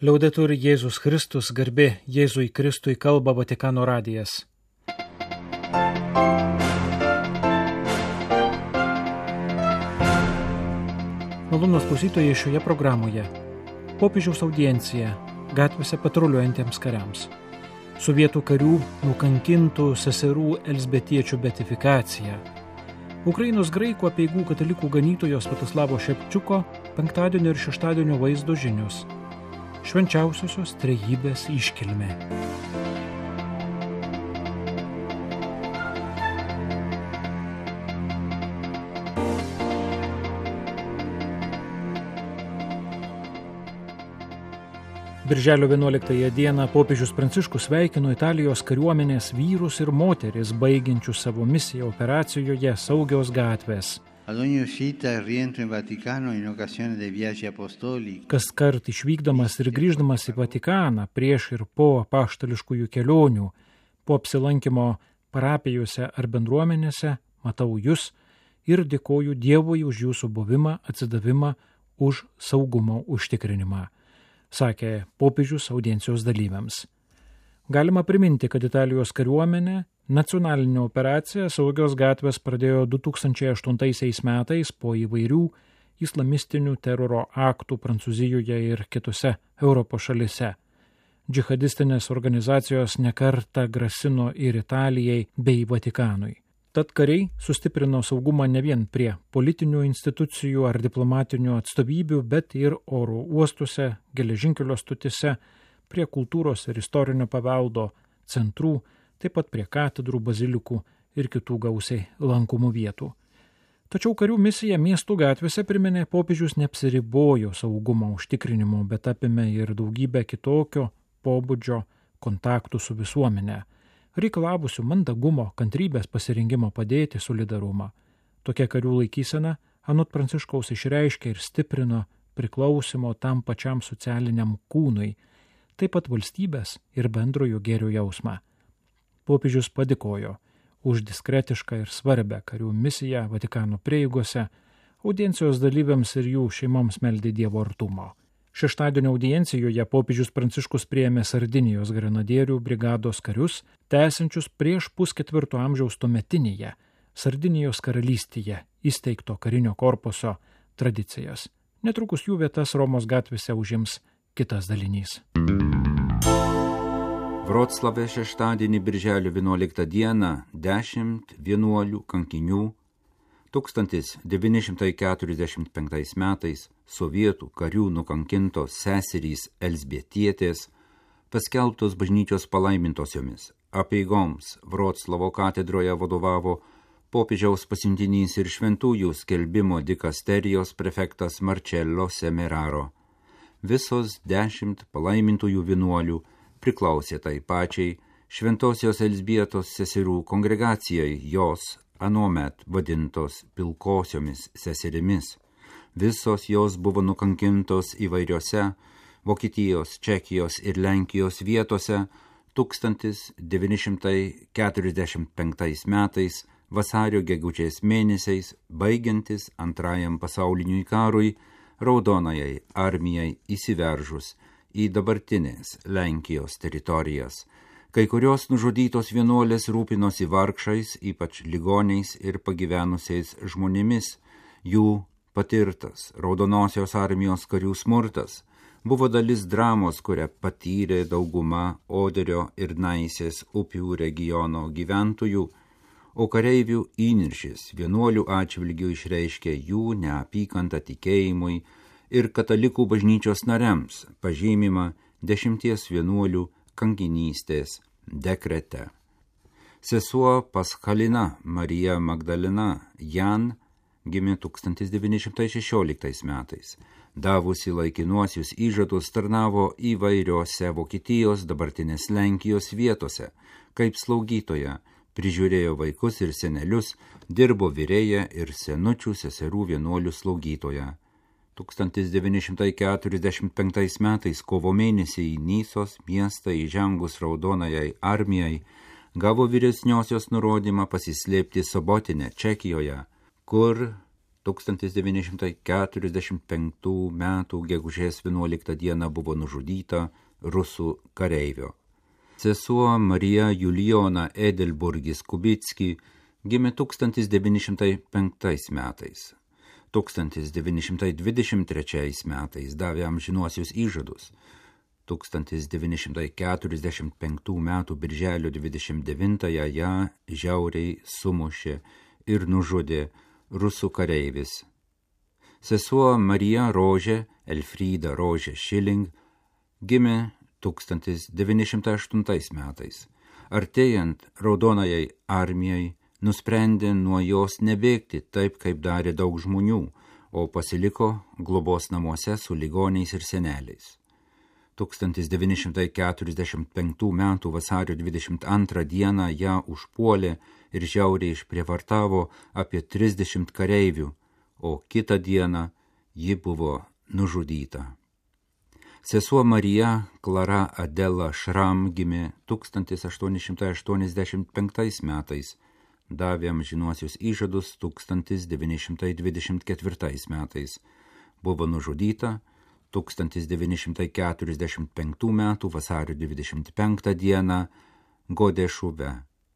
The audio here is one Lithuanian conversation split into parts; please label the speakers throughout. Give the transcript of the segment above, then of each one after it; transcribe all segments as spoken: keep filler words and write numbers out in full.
Speaker 1: Liaudetur Jėzus Kristus, garbė Jėzui Kristui, kalba Vatikano radijas. Malonūs klausytojai, šioje programoje popiežiaus audiencija gatvėse patruliuojantiems kariams, sovietų karių nukankintų seserų elzbietiečių beatifikacija, Ukrainos graikų apeigų katalikų ganytojo Sviatoslavo Šepčiuko penktadienio ir šeštadienio vaizdo žinios, švenčiausiosios trejybės iškilmė. Birželio vienuoliktąją dieną popiežius Pranciškus sveikino Italijos kariuomenės vyrus ir moteris, baigiančius savo misiją operacijoje Saugios gatvės. Kaskart išvykdamas ir grįždamas į Vatikaną prieš ir po apaštališkųjų kelionių, po apsilankimo parapijose ar bendruomenėse, matau jus ir dėkoju Dievui už jūsų buvimą, atsidavimą, už saugumo užtikrinimą, sakė popiežius audiencijos dalyviams. Galima priminti, kad Italijos kariuomenė nacionalinė operacija Saugios gatvės pradėjo du tūkstančiai aštuntaisiais metais po įvairių islamistinių teroro aktų Prancūzijoje ir kitose Europos šalise. Džihadistinės organizacijos nekartą grasino ir Italijai bei Vatikanui. Tad kariai sustiprino saugumą ne vien prie politinių institucijų ar diplomatinių atstovybių, bet ir oro uostuose, geležinkelio stotise, prie kultūros ir istorinio paveldo centrų, taip pat prie katedrų, bazilikų ir kitų gausiai lankomų vietų. Tačiau karių misija miestų gatvėse, priminė popiežius, neapsiribojo saugumo užtikrinimu, bet apėmė ir daugybę kitokio pobūdžio kontaktų su visuomenė, reikalavusių mandagumo, kantrybės, pasirengimo padėti, solidarumą. Tokia karių laikysena anot Pranciškaus išreiškė ir stiprino priklausimo tam pačiam socialiniam kūnui, taip pat valstybės ir bendrojo gėrio jausmą. Popiežius padėkojo už diskretišką ir svarbę karių misiją Vatikano prieigose, audiencijos dalyviams ir jų šeimoms meldė Dievo artumo. Šeštadienio audiencijoje popiežius Pranciškus priėmė Sardinijos grenadierių brigados karius, tęsiančius prieš pusketvirto amžiaus tuometinėje Sardinijos karalystėje įsteigto karinio korpuso tradicijas. Netrukus jų vietas Romos gatvėse užims kitas dalinys.
Speaker 2: Vroclave šeštadienį birželio vienuoliktą dieną dešimt vienuolių kankinių tūkstantis devyni šimtai keturiasdešimt penktais metais sovietų karių nukankintos seserys Elzbietietės paskelbtos bažnyčios palaimintosiomis. Apeigoms Vroclavo katedroje vadovavo popiežiaus pasiuntinys ir šventųjų skelbimo dikasterijos prefektas Marcello Semeraro. Visos dešimt palaimintųjų vienuolių priklausė tai pačiai šventosios Elzbietos seserų kongregacijai, jos anuomet vadintos pilkosiomis seserimis. Visos jos buvo nukankintos įvairiose Vokietijos, Čekijos ir Lenkijos vietose tūkstantis devyni šimtai keturiasdešimt penktais metais vasario gegužės mėnesiais, baigiantis antrajam pasauliniui karui, Raudonajai armijai įsiveržus į dabartinės Lenkijos teritorijas. Kai kurios nužudytos vienuolės rūpinosi vargšais, ypač ligoniais ir pagyvenusiais žmonėmis. Jų patirtas Raudonosios armijos karių smurtas buvo dalis dramos, kurią patyrė dauguma Oderio ir Naisės upių regiono gyventojų, o kareivių įniršis vienuolių atžvilgių išreiškė jų neapykantą tikėjimui ir katalikų bažnyčios nariams, pažymima dešimties vienuolių kankinystės dekrete. Sesuo Paskalina Marija Magdalena Jan gimė tūkstantis devyni šimtai šešioliktais metais. Davusi laikinuosius įžadus, tarnavo įvairiose Vokietijos, dabartinės Lenkijos vietose, kaip slaugytoja, prižiūrėjo vaikus ir senelius, dirbo virėja ir senučių seserų vienuolių slaugytoja. tūkstantis devyni šimtai keturiasdešimt penktais metais kovo mėnesį į Nysos miestą įžengus Raudonajai armijai gavo vyresniosios nurodymą pasislėpti Sobotinę, Čekijoje, kur tūkstantis devyni šimtai keturiasdešimt penktų metų gegužės vienuoliktą dieną buvo nužudyta rusų kareivio. Sesuo Marija Julijona Edelburgis Kubicki gimė tūkstantis devyni šimtai penktais metais. tūkstantis devyni šimtai dvidešimt trečiais metais davė amžinuosius įžadus. tūkstantis devyni šimtai keturiasdešimt penktų metų birželio dvidešimt devintąją ją žiauriai sumušė ir nužudė rusų kareivis. Sesuo Marija Rožė Elfryda Rožė Šiling gimė tūkstantis devyni šimtai aštuntais metais. Artėjant Raudonajai armijai nusprendė nuo jos nebėgti taip, kaip darė daug žmonių, o pasiliko globos namuose su ligoniais ir seneliais. tūkstantis devyni šimtai keturiasdešimt penktų metų vasario dvidešimt antrą dieną ją užpuolė ir žiauriai išprievartavo apie trisdešimt kareivių, o kitą dieną ji buvo nužudyta. Sesuo Marija Klara Adela Šram gimė tūkstantis aštuoni šimtai aštuoniasdešimt penktais metais, davė amžinuosius įžadus tūkstantis devyni šimtai dvidešimt ketvirtais metais, buvo nužudyta tūkstantis devyni šimtai keturiasdešimt penktų metų vasario dvidešimt penktą dieną Godešuve.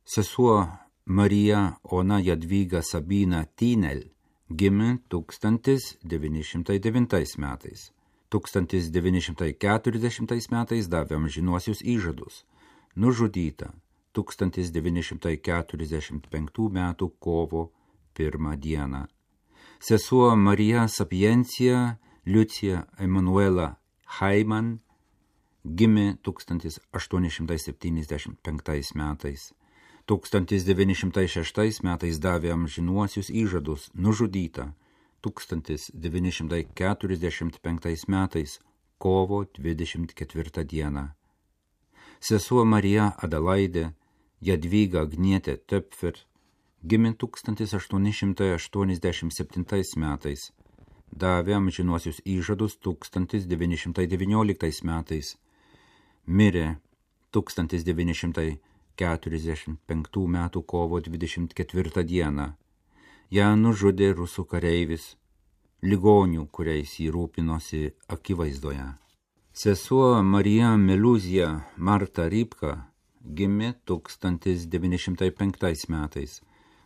Speaker 2: Sesuo Marija Ona Jadvyga Sabina Tynel gimė tūkstantis devyni šimtai devintais metais. tūkstantis devyni šimtai keturiasdešimtais metais davė amžinuosius įžadus. Nužudyta tūkstantis devyni šimtai keturiasdešimt penktų metų kovo pirmą dieną. Sesuo Marija Sapiencija Liucija Emanuela Haiman gimė tūkstantis aštuoni šimtai septyniasdešimt penktais metais. tūkstantis devyni šimtai šeštais metais davė amžinuosius įžadus, nužudyta tūkstantis devyni šimtai keturiasdešimt penktais metais kovo dvidešimt ketvirtą dieną. Sesuo Marija Adelaidė Jadvyga Agnietė Töpfer gimė tūkstantis aštuoni šimtai aštuoniasdešimt septintais metais. Davė amžinuosius įžadus tūkstantis devyni šimtai devynioliktais metais. Mirė tūkstantis devyni šimtai keturiasdešimt penktų metų kovo dvidešimt ketvirtą dieną. Ją nužudė rusų kareivis, ligonių, kuriais jį rūpinosi akivaizdoje. Sesuo Marija Meluzija Marta Rybka gimė tūkstantis devyni šimtai penktais metais.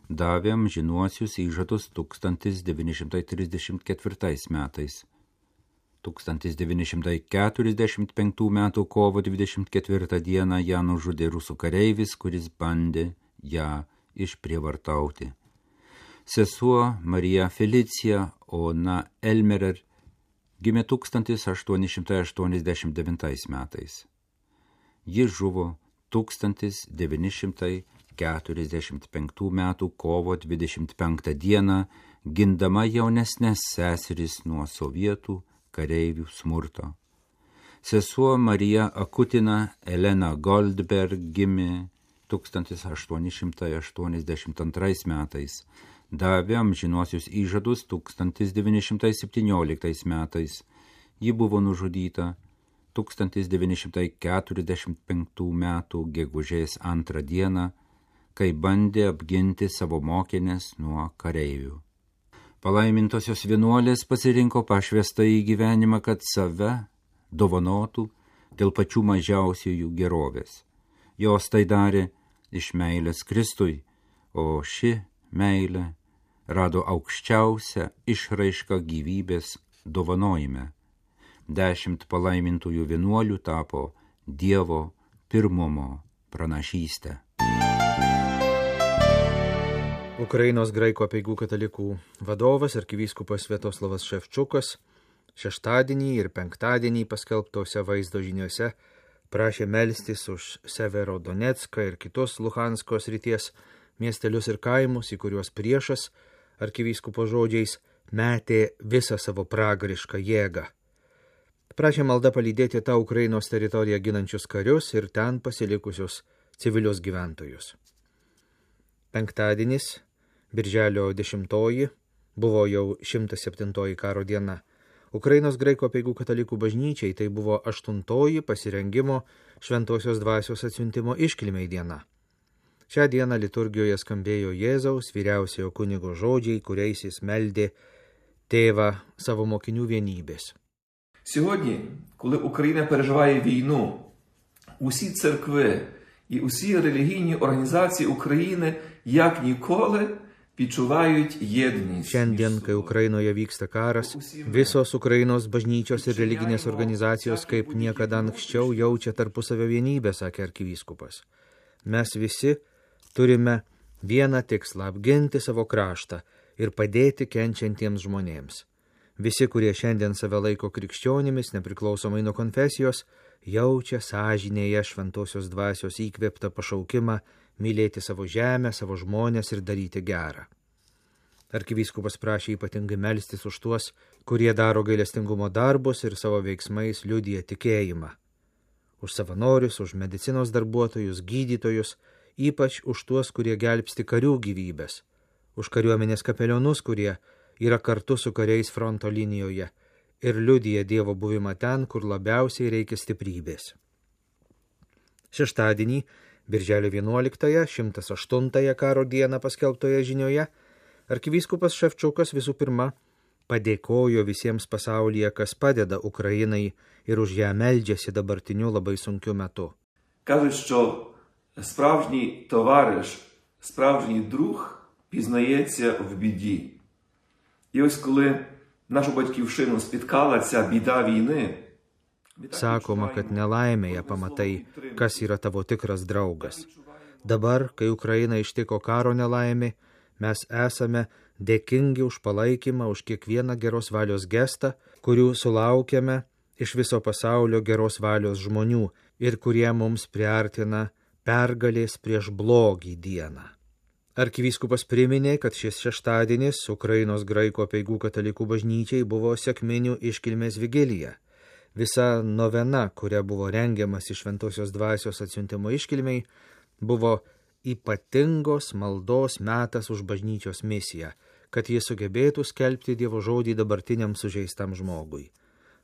Speaker 2: Davė amžinuosius įžadus tūkstantis devyni šimtai trisdešimt ketvirtais metais. tūkstantis devyni šimtai keturiasdešimt penktų metų kovo dvidešimt ketvirtą dieną ją nužudė rusų kareivis, kuris bandė ją išprievartauti. Sesuo Marija Felicija Ona Elmerer gimė tūkstantis aštuoni šimtai aštuoniasdešimt devintais metais. Ji žuvo tūkstantis devyni šimtai keturiasdešimt penktų metų kovo dvidešimt penktą dieną, gindama jaunesnės seseris nuo sovietų kareivių smurto. Sesuo Marija Akutina Elena Goldberg gimė tūkstantis aštuoni šimtai aštuoniasdešimt antrais metais. Davė amžinuosius įžadus tūkstantis devyni šimtai septynioliktais metais. Ji buvo nužudyta tūkstantis devyni šimtai keturiasdešimt penktų metų gegužės antrą dieną, kai bandė apginti savo mokinės nuo kareivių. Palaimintosios vienuolės pasirinko pašvestą į gyvenimą, kad save dovanotų dėl pačių mažiausiųjų gerovės. Jos tai darė iš meilės Kristui, o ši meilė rado aukščiausią išraišką gyvybės dovanojime. Dešimt palaimintųjų vienuolių tapo Dievo pirmumo pranašystę.
Speaker 3: Ukrainos graikų apeigų katalikų vadovas arkivyskupas Sviatoslavas Ševčukas šeštadienį ir penktadienį paskelbtose vaizdo žiniuose prašė melstis už Severodonecką ir kitus Luhansko srities miestelius ir kaimus, į kuriuos priešas, arkivyskupo žodžiais, metė visą savo pragarišką jėgą. Prašė malda palydėti tą Ukrainos teritoriją ginančius karius ir ten pasilikusius civilius gyventojus. Penktadienis, birželio dešimtoji, buvo jau šimtas septintoji karo diena. Ukrainos graikų apeigų katalikų bažnyčiai tai buvo aštuntoji pasirengimo šventosios dvasios atsiuntimo iškilmei diena. Šią dieną liturgijoje skambėjo Jėzaus vyriausiojo kunigo žodžiai, kuriais jis meldė tėvą savo mokinių vienybės.
Speaker 4: Сьогодні, коли Україна переживає війну, усі церкви і усі релігійні організації України, як ніколи, відчувають єдність.
Speaker 3: Šiandien, kai Ukrainoje vyksta karas, visos Ukrainos bažnyčios ir religinės organizacijos kaip niekada anksčiau jaučia tarpusavio vienybę, sakė arkivyskupas. Mes visi turime vieną tikslą – apginti savo kraštą ir padėti kenčiantiems žmonėms. Visi, kurie šiandien save laiko krikščionimis, nepriklausomai nuo konfesijos, jaučia sąžinėje šventosios dvasios įkvėptą pašaukimą mylėti savo žemę, savo žmonės ir daryti gerą. Arkivyskupas prašė ypatingai melstis už tuos, kurie daro gailestingumo darbus ir savo veiksmais liudija tikėjimą. Už savanorius, už medicinos darbuotojus, gydytojus, ypač už tuos, kurie gelbsti karių gyvybės, už kariuomenės kapelionus, kurie yra kartu su kariais fronto linijoje ir liudija Dievo buvimą ten, kur labiausiai reikia stiprybės. Šeštadienį, birželio vienuoliktąją, šimtas aštuntąją karo dieną paskelbtoje žinioje, arkivyskupas Ševčiukas visų pirma padėkojo visiems pasaulyje, kas padeda Ukrainai ir už ją meldžiasi dabartiniu labai sunkiu metu.
Speaker 4: Кажуть, що справжній товариш, справжній друг пізнається в біді. І ось коли нашу батьківщину спіткала ця біда війни,
Speaker 3: Sakoma, kad nelaimėje pamatai, kas yra tavo tikras draugas. Dabar, kai Ukraina ištiko karo nelaimė, mes esame dėkingi už palaikymą, už kiekvieną geros valios gestą, kurių sulaukėme iš viso pasaulio geros valios žmonių ir kurie mums priartina pergalės prieš blogį dieną. Arkivyskupas priminė, kad šis šeštadienis Ukrainos graikų apeigų katalikų bažnyčiai buvo sekminių iškilmės vigilija. Visa novena, kuria buvo rengiamas iš šventosios dvasios atsiuntimo iškilmiai, buvo ypatingos maldos metas už bažnyčios misiją, kad jis sugebėtų skelbti Dievo žodį dabartiniam sužeistam žmogui.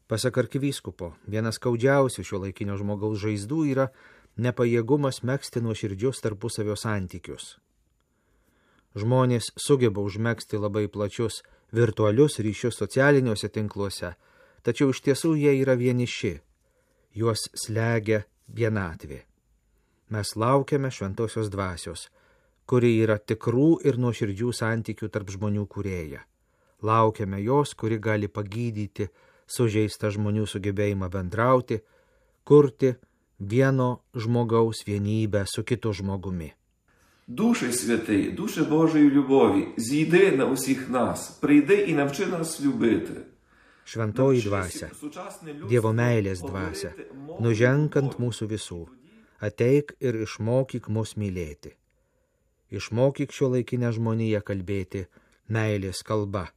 Speaker 3: Pasak arkivyskupo, vienas skaudžiausių šio laikinio žmogaus žaizdų yra nepajėgumas megzti nuoširdžius tarpusavio santykius. Žmonės sugeba užmegzti labai plačius virtualius ryšius socialiniuose tinkluose, tačiau iš tiesų jie yra vieniši, juos slegia vienatvė. Mes laukiame šventosios dvasios, kuri yra tikrų ir nuoširdžių santykių tarp žmonių kūrėja. Laukiame jos, kuri gali pagydyti sužeistą žmonių sugebėjimą bendrauti, kurti vieno žmogaus vienybę su kitu žmogumi.
Speaker 4: Душе Святий, Душе Божої любові, зійди на усіх нас, прийди і навчи нас любити.
Speaker 3: Šventoji dvasia, Dievo meilės dvasia, nuženk ant mūsų visų, ateik ir išmokyk mus mylėti. Išmokyk šio laikinę žmoniją kalbėti meilės kalba,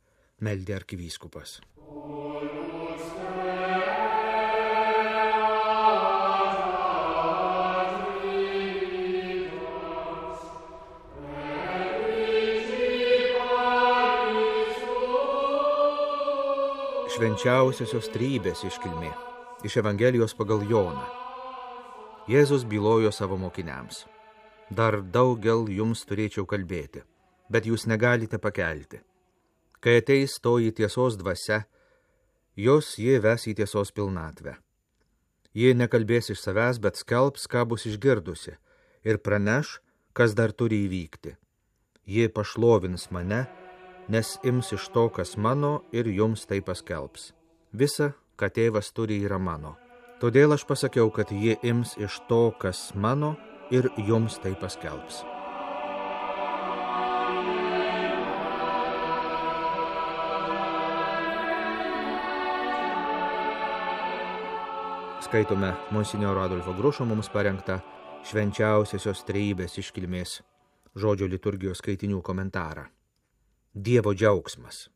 Speaker 3: meldė arkivyskupas. Švenčiausiosios trejybės iškilmė iš Evangelijos pagal Joną. Jėzus bylojo savo mokiniams. Dar daugel jums turėčiau kalbėti, bet jūs negalite pakelti. Kai ateis toji tiesos dvasia, jos ji ves į tiesos pilnatvę. Ji nekalbės iš savęs, bet skelbs, ką bus išgirdusi, ir praneš, kas dar turi įvykti. Ji pašlovins mane, nes ims iš to, kas mano, ir jums tai paskelbs. Visa, ką tėvas turi, yra mano. Todėl aš pasakiau, kad ji ims iš to, kas mano, ir jums tai paskelbs. Skaitome monsinjoro Adolfo Grušo mums parengtą švenčiausiosios trejybės iškilmės žodžio liturgijos skaitinių komentarą. Dievo džiaugsmas.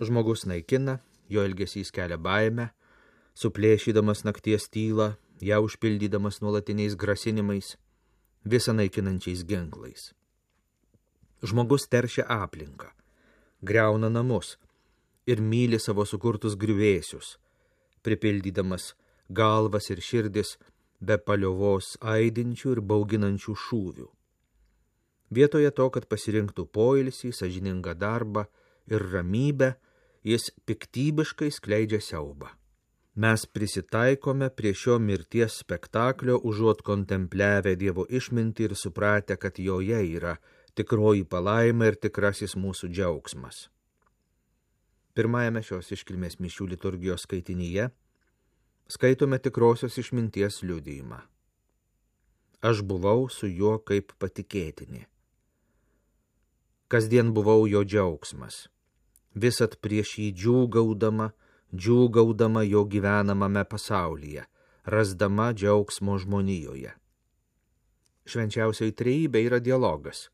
Speaker 3: Žmogus naikina, jo elgesys kelia baimę, suplėšydamas nakties tylą, ją užpildydamas nuolatiniais grasinimais, visą naikinančiais ginklais. Žmogus teršia aplinką, griauna namus ir myli savo sukurtus griuvėsius, pripildydamas galvas ir širdis be paliovos aidinčių ir bauginančių šūvių. Vietoje to, kad pasirinktų poilsį, sąžiningą darbą ir ramybę, jis piktybiškai skleidžia siaubą. Mes prisitaikome prie šio mirties spektaklio, užuot kontempliavę Dievo išmintį ir supratę, kad joje yra tikroji palaima ir tikrasis mūsų džiaugsmas. Pirmajame šios iškilmės mišių liturgijos skaitinyje skaitome tikrosios išminties liudijimą. Aš buvau su juo kaip patikėtinė. Kasdien buvau jo džiaugsmas, visat prieš jį džiūgaudama, džiūgaudama jo gyvenamame pasaulyje, rasdama džiaugsmo žmonijoje. Švenčiausioji trejybė yra dialogas,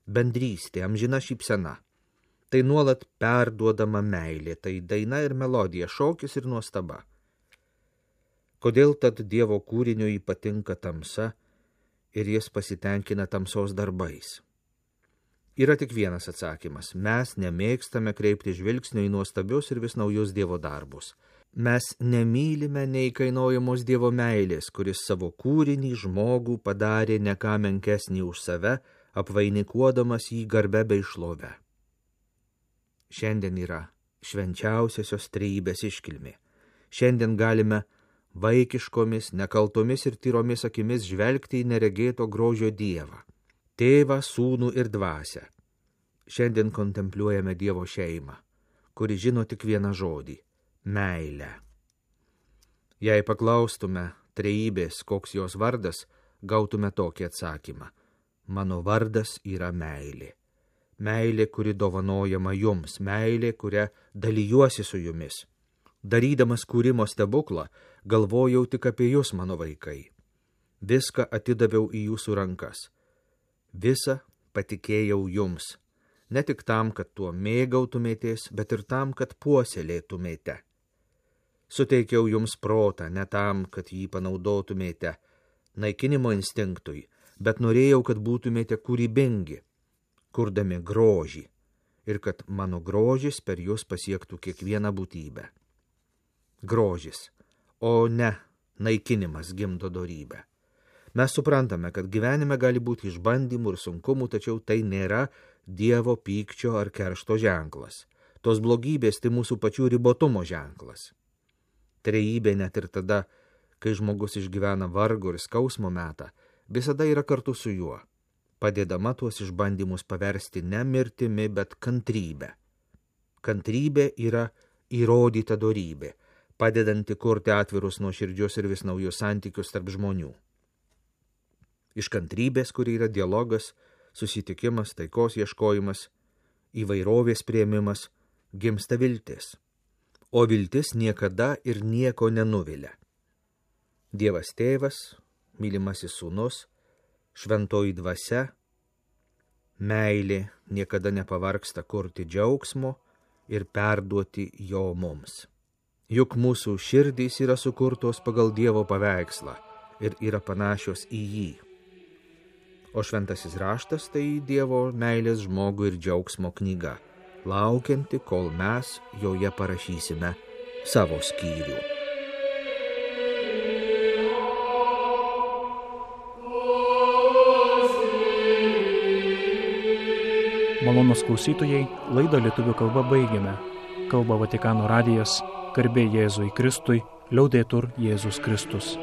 Speaker 3: bendrystė, amžina šypsena. Tai nuolat perduodama meilė, tai daina ir melodija, šokis ir nuostaba. Kodėl tad Dievo kūriniui patinka tamsa ir jis pasitenkina tamsos darbais? Yra tik vienas atsakymas. Mes nemėgstame kreipti žvilgsnio į nuostabius ir vis naujus Dievo darbus. Mes nemylime neįkainojamos Dievo meilės, kuris savo kūrinį žmogų padarė ne ką menkesnį už save, apvainikuodamas jį garbe bei šlove. Šiandien yra švenčiausiosios trejybės iškilmė. Šiandien galime vaikiškomis, nekaltomis ir tyromis akimis žvelgti į neregėto grožio Dievą. Tėvą, sūnų ir dvasią. Šiandien kontempliuojame Dievo šeimą, kuri žino tik vieną žodį – meilę. Jei paklaustume trejybės, koks jos vardas, gautume tokį atsakymą – mano vardas yra meilė. Meilė, kuri dovanojama jums, meilė, kuria dalijuosi su jumis. Darydamas kūrimo stebuklą, galvojau tik apie jūs, mano vaikai. Viską atidaviau į jūsų rankas. Visą patikėjau jums, ne tik tam, kad tuo mėgautumėtės, bet ir tam, kad puoselėtumėte. Suteikiau jums protą, ne tam, kad jį panaudotumėte naikinimo instinktui, bet norėjau, kad būtumėte kūrybingi, kurdami grožį, ir kad mano grožis per jūs pasiektų kiekvieną būtybę. Grožis, o ne naikinimas gimdo dorybę. Mes suprantame, kad gyvenime gali būti išbandymų ir sunkumų, tačiau tai nėra Dievo pykčio ar keršto ženklas. Tos blogybės tai mūsų pačių ribotumo ženklas. Trejybė net ir tada, kai žmogus išgyvena vargo ir skausmo metą, visada yra kartu su juo, padėdama tuos išbandymus paversti ne mirtimi, bet kantrybę. Kantrybė yra įrodyta dorybė, padedanti kurti atvirus nuoširdžius ir vis naujus santykius tarp žmonių. Iš kantrybės, kuri yra dialogas, susitikimas, taikos ieškojimas, įvairovės priėmimas, gimsta viltis. O viltis niekada ir nieko nenuvilia. Dievas tėvas, mylimasis sūnus, šventoji dvasia, meilė niekada nepavargsta kurti džiaugsmo ir perduoti jo mums. Juk mūsų širdys yra sukurtos pagal Dievo paveikslą ir yra panašios į jį. O šventasis raštas tai Dievo meilės žmogui ir džiaugsmo knyga, laukianti, kol mes joje parašysime savo skyrių.
Speaker 1: Malonūs klausytojai, laidą lietuvių kalba baigėme. Kalba Vatikano radijas, garbė Jėzui Kristui, liaudetur Jėzus Kristus.